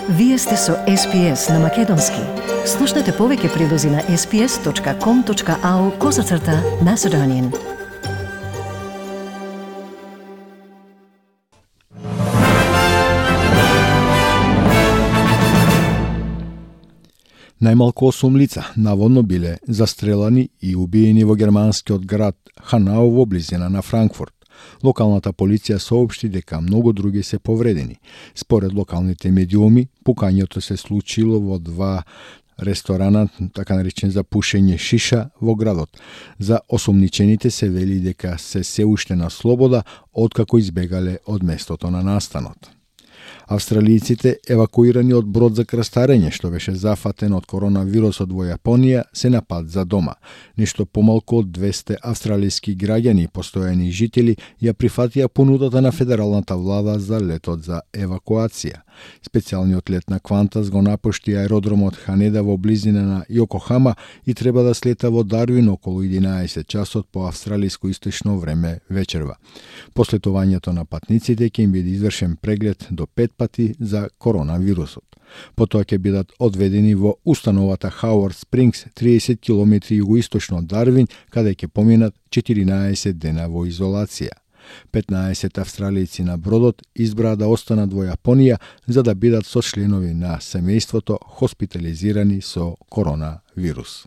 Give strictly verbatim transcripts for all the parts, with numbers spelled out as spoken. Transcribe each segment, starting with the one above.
Вие сте со Ес Пи Ес на Македонски. Слушнете повеќе прилози на ес пи ес точка ком точка ау козацрта Macedonian. Најмалку осум лица наводно биле застрелани и убиени во германскиот град Ханау во близина на Франкфурт. Локалната полиција соопшти дека многу други се повредени. Според локалните медиуми, пукањето се случило во два ресторана, така наречен за пушење шиша во градот. За осомничените се вели дека се се уште на слобода, откако избегале од местото на настанот. Австралијците евакуирани од брод за крстарење што беше зафатен од коронавирусот во Јапонија се на пат за дома. Нешто помалку од двесте австралијски граѓани и постојани жители ја прифатија понудата на федералната влада за летот за евакуација. Специјалниот лет на Qantas го напушти аеродромот Ханеда во близина на Јокохама и треба да слета во Дарвин околу единаесет часот по австралиско источно време вечерва. По слетувањето на патниците ќе им биде извршен преглед до пет пати за коронавирусот. Потоа ќе бидат одведени во установата Хауард Спрингс, триесет километри југоисточно од Дарвин, каде ќе поминат четиринаесет дена во изолација. петнаесет австралијци на бродот избраа да останат во Јапонија за да бидат со членови на семејството хоспитализирани со коронавирус.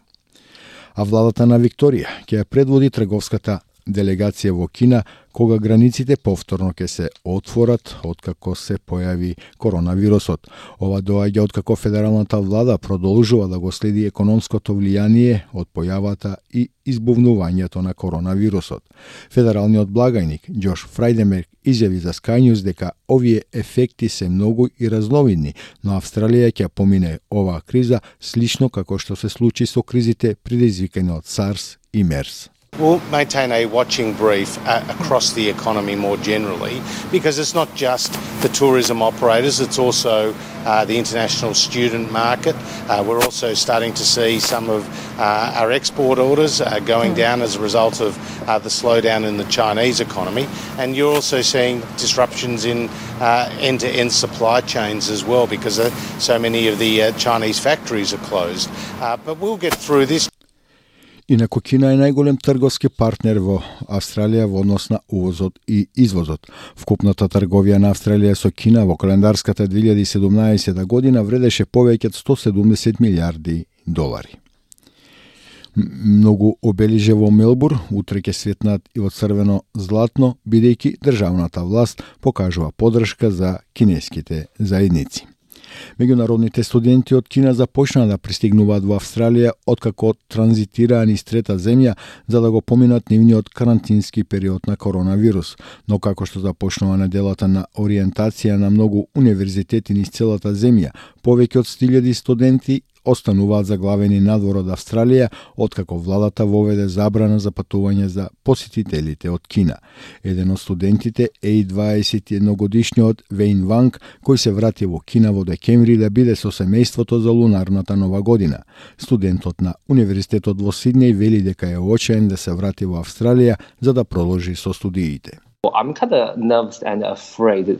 А владата на Викторија ќе ја предводи трговската делегација во Кина кога границите повторно ќе се отворат откако се појави коронавирусот. Ова доаѓа откако федералната влада продолжува да го следи економското влијание од појавата и избувнувањето на коронавирусот. Федералниот благајник Џош Фрајденберг изјави за Sky News дека овие ефекти се многу и разновидни, но Австралија ќе помине оваа криза слично како што се случи со кризите предизвикани од SARS и MERS. We'll maintain a watching brief uh, across the economy more generally, because it's not just the tourism operators, it's also uh, the international student market. Uh, we're also starting to see some of uh, our export orders uh, going down as a result of uh, the slowdown in the Chinese economy. And you're also seeing disruptions in uh, end-to-end supply chains as well, because uh, so many of the uh, Chinese factories are closed. Uh, but we'll get through this. Инаку Кина е најголем трговски партнер во Австралија во однос на увозот и извозот. Вкупната трговија на Австралија со Кина во календарската две илјади и седумнаесета година вредеше повеќе од сто седумдесет милијарди долари. Многу обелиже во Мелбур утре ќе светнат и во црвено златно, бидејќи државната власт покажува поддршка за кинеските заедници. Меѓународните студенти од Кина започнаа да пристигнуваат во Австралија откако транзитираа низ трета земја за да го поминат нивниот карантински период на коронавирус. Но како што започнува неделата на ориентација на многу универзитети низ целата земја, повеќе од сто илјади студенти остануваат заглавени надвор од Австралија, откако владата воведе забрана за патување за посетителите од Кина. Еден од студентите е и дваесет и едногодишниот Вејн Ванг, кој се врати во Кина во декември да биде со семејството за лунарната нова година. Студентот на Универзитетот во Сиднеј вели дека е очаен да се врати во Австралија за да продолжи со студиите. I'm kind of nervous and afraid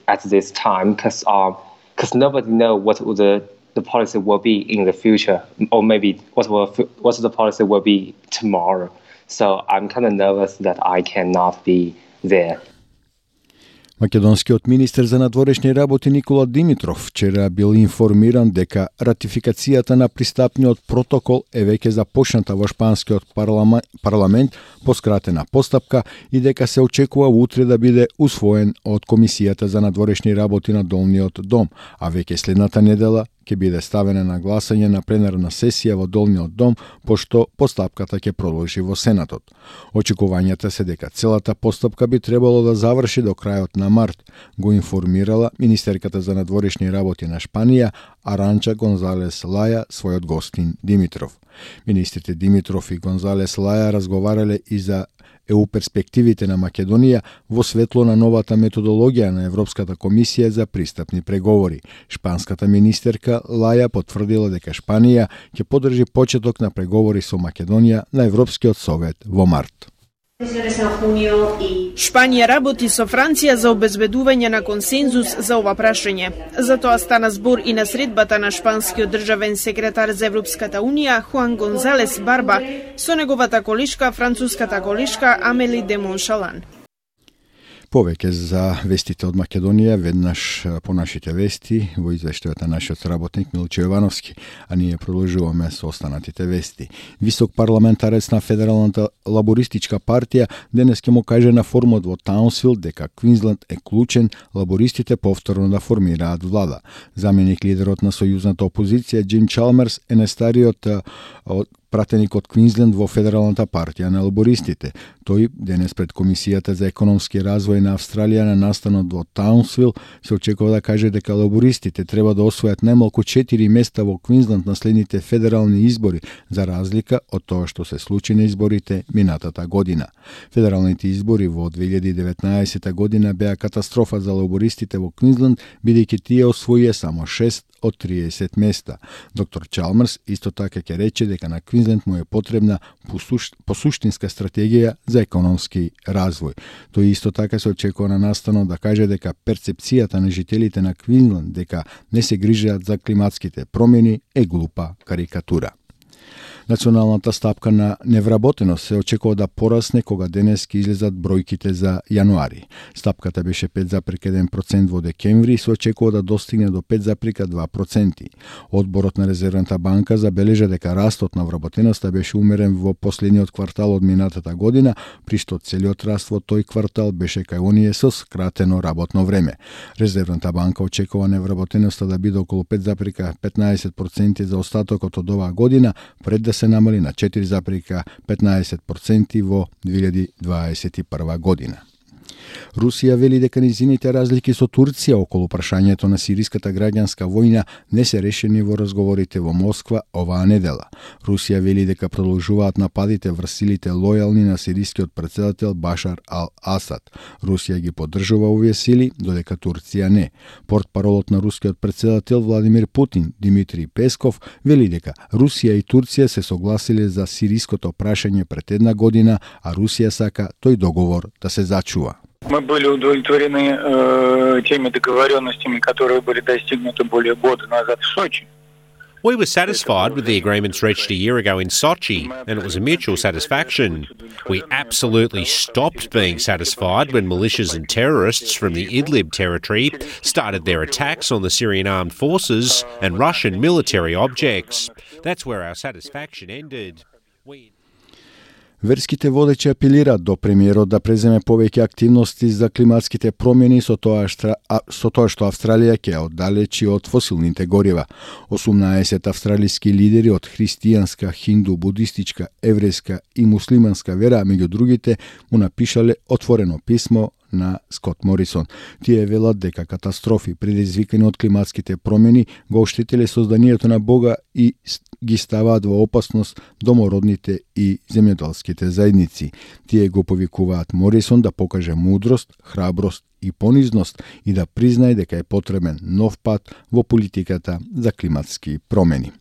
at this time because um, because nobody knows what the the policy will be in the future, or maybe what will what the policy will be tomorrow. So I'm kind of nervous that I cannot be there. Македонскиот министер за надворешни работи Никола Димитров вчера бил информиран дека ратификацијата на пристапниот протокол е веќе започната во шпанскиот парламент, парламент по скратена постапка и дека се очекува утре да биде усвоен од Комисијата за надворешни работи на Долниот дом, а веќе следната недела ќе биде ставена на гласање на пленарна сесија во Долниот дом, пошто постапката ќе продолжи во Сенатот. Очекувањата се дека целата постапка би требало да заврши до крајот на март, го информирала министерката за надворешни работи на Шпанија Аранча Гонзалес Лаја својот гостин Димитров. Министрите Димитров и Гонзалес Лаја разговарале и за е у перспективите на Македонија во светло на новата методологија на Европската комисија за пристапни преговори. Шпанската министерка Лаја потврдила дека Шпанија ќе поддржи почеток на преговори со Македонија на Европскиот совет во март. Шпанија работи со Франција за обезбедување на консензус за ова прашање. Затоа стана збор и на средбата на шпанскиот државен секретар за Европската унија Хуан Гонзалес Барба со неговата колешка, француската колешка Амели де Моншалан. Повеќе за вестите од Македонија веднаш по нашите вести во извештајот на нашиот работник Милчо Јовановски, а ние продолжуваме со останатите вести. Висок парламентарец на Федералната лабористичка партија денес ќе му каже на форумот во Таунсвил дека Квинсленд е клучен лабористите повторно да формираат влада. Заменик лидерот на сојузната опозиција Џим Чалмерс е најстариот од пратеник од Квинсленд во Федералната партија на лабористите. Тој денес пред Комисијата за економски развој на Австралија на настанот во Таунсвил се очекува да каже дека лабористите треба да освојат најмалку четири места во Квинсленд на следните федерални избори, за разлика од тоа што се случи на изборите минатата година. Федералните избори во две илјади и деветнаесетта година беа катастрофа за лабористите во Квинсленд, бидејќи тие освоија само шест од триесет места. Доктор Чалмерс исто така ќе рече дека на Квинсленд му е потребна посуштинска стратегија за економски развој. Тој исто така се очекува на настанот да каже дека перцепцијата на жителите на Квинсленд дека не се грижат за климатските промени е глупа карикатура. Националната стапка на невработеност се очекува да порасне кога денес ќе излезат бројките за јануари. Стапката беше пет зарез еден процент во декември и се очекува да достигне до пет зарез два проценти. Одборот на Резервната банка забележа дека растот на вработеноста беше умерен во последниот квартал од минатата година, при што целиот раст во тој квартал беше кај оние со скратено работно време. Резервната банка очекува невработеноста да биде околу пет зарез петнаесет проценти за остатокот од оваа година, пред да се намали на четири зарез петнаесет проценти во две илјади дваесет и прва година. Русија вели дека низините разлики со Турција околу прашањето на сириската граѓанска војна не се решени во разговорите во Москва оваа недела. Русија вели дека продолжуваат нападите врз силите лојални на сирискиот претседател Башар ал-Асад. Русија ги поддржува овие сили, додека Турција не. Портпаролот на рускиот претседател Владимир Путин, Димитри Песков, вели дека Русија и Турција се согласиле за сириското прашање пред една година, а Русија сака тој договор да се зачува. Мы были удовлетворены э, теми договоренностями, которые были достигнуты более года назад в Сочи. We were satisfied with the agreements reached a year ago in Sochi, and it was a mutual satisfaction. We absolutely stopped being satisfied when militias and terrorists from the Idlib territory started their attacks on the Syrian armed forces and Russian military objects. That's where our satisfaction ended. We... Верските водечи апелираат до премиерот да преземе повеќе активности за климатските промени со тоа, штра... а, со тоа што Австралија ќе оддалечи од фосилните горива. осумнаесет австралиски лидери од христијанска, хинду, будистичка, еврејска и муслиманска вера, меѓу другите, му напишале отворено писмо на Скот Морисон. Тие велат дека катастрофи предизвикани од климатските промени го оштетиле созданието на Бога и ги ставаат во опасност домородните и земјоделските заедници. Тие го повикуваат Морисон да покаже мудрост, храброст и понизност и да признае дека е потребен нов пат во политиката за климатски промени.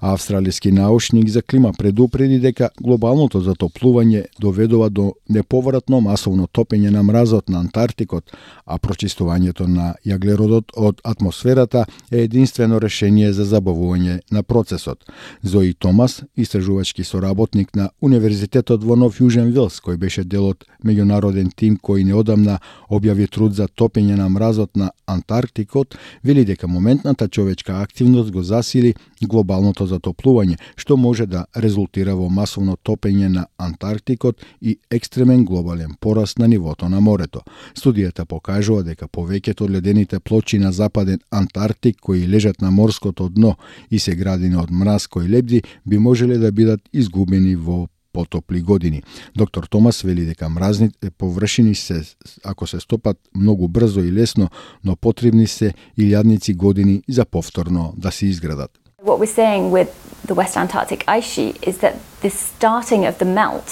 А австралиски научник за клима предупреди дека глобалното затоплување доведува до неповратно масовно топење на мразот на Антарктикот, а прочистувањето на јаглеродот од атмосферата е единствено решение за забавување на процесот. Зои Томас, истражувачки соработник на Универзитетот во Нов Јужен Велс, кој беше дел од меѓународен тим кој неодамна објави труд за топење на мразот на Антарктикот, вели дека моментната човечка активност го засили глобалното затоплување, што може да резултира во масовно топење на Антарктикот и екстремен глобален пораст на нивото на морето. Студијата покажува дека повеќето од ледените плочи на западен Антарктик кои лежат на морското дно и се градени од мраз кој лебди би можеле да бидат изгубени во потопли години. Доктор Томас вели дека мразните површини се, ако се стопат многу брзо и лесно, но потребни се илјадници години за повторно да се изградат. What we're seeing with the West Antarctic ice sheet is that the starting of the melt,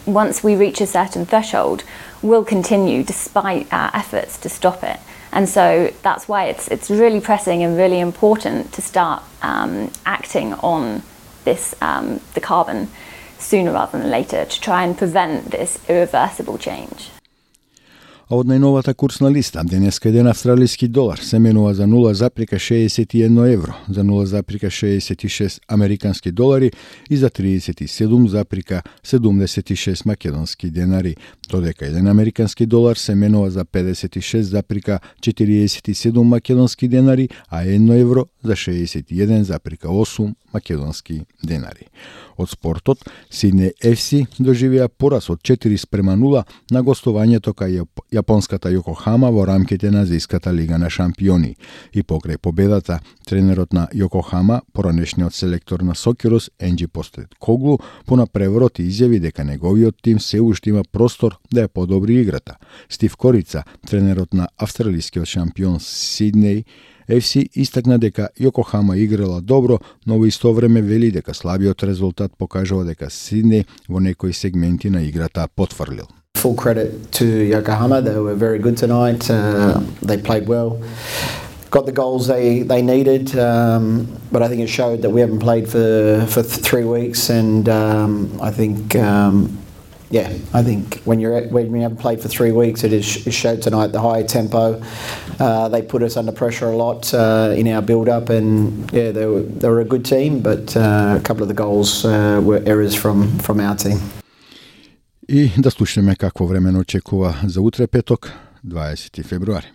once we reach a certain threshold, will continue despite our efforts to stop it. And so that's why it's it's really pressing and really important to start um, acting on this um, the carbon sooner rather than later to try and prevent this irreversible change. А од најновата курсна листа, денеска еден австралиски долар се менува за нула запирка шеесет и едно евро, за нула запирка шеесет и шест американски долари и за тридесет и седум запирка седумдесет и шест македонски денари, додека еден американски долар се менува за педесет и шест запирка четириесет и седум македонски денари, а едно евро за шеесет и еден запирка осум македонски денари. Од спортот, Сиднеј еф си доживеа пораз од четири спрема нула на гостувањето кај јапонската Јокохама во рамките на Азијската лига на шампиони. И покрај победата, тренерот на Јокохама, поранешниот селектор на Сокерус, Енџи Постекоглу, понапреворот изјави дека неговиот тим се уште има простор да ја подобри играта. Стив Корица, тренерот на австралискиот шампион Сиднеј еф си, истакна дека Јокохама играла добро, но во исто време вели дека слабиот резултат покажува дека Сиднеј во некои сегменти на играта потфрлил. Full credit to Yokohama. They were very good tonight. Uh, they played well. Got the goals they, they needed, um, but I think it showed that we haven't played for, for th- three weeks and um, I think um, yeah, I think when you're at, when you haven't played for three weeks, it, is, it showed tonight the high tempo. Uh, they put us under pressure a lot uh, in our build-up, and yeah, they were they were a good team, but uh, a couple of the goals uh, were errors from from our team. И да слушнеме какво време очекува за утре петок, дваесети февруари.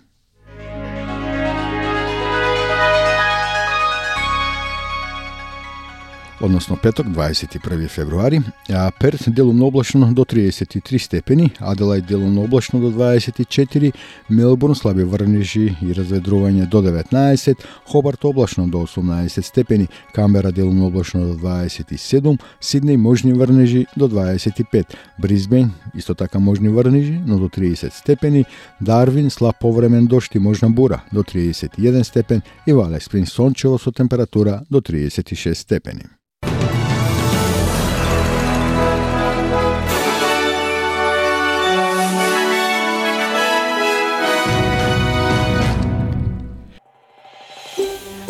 Односно петок, дваесет и први февруари, а Перт делумно облачно до триесет и три степени, Аделајд делумно облачно до дваесет и четири, Мелбурн слаби врнежи и разведрување до деветнаесет, Хобарт облачно до осумнаесет степени, Камбера делумно облачно до дваесет и седум, Сиднеј можни врнежи до дваесет и пет, Брисбејн исто така можни врнежи, но до триесет степени, Дарвин слаб повремен дожд и можна бура до триесет и еден степен и Вале Спрингс сончево со температура до триесет и шест степени.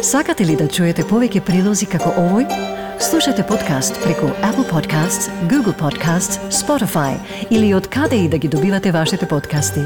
Сакате ли да чуете повеќе прилози како овој? Слушате подкаст преку Apple Podcasts, Google Podcasts, Spotify или од каде и да ги добивате вашите подкасти.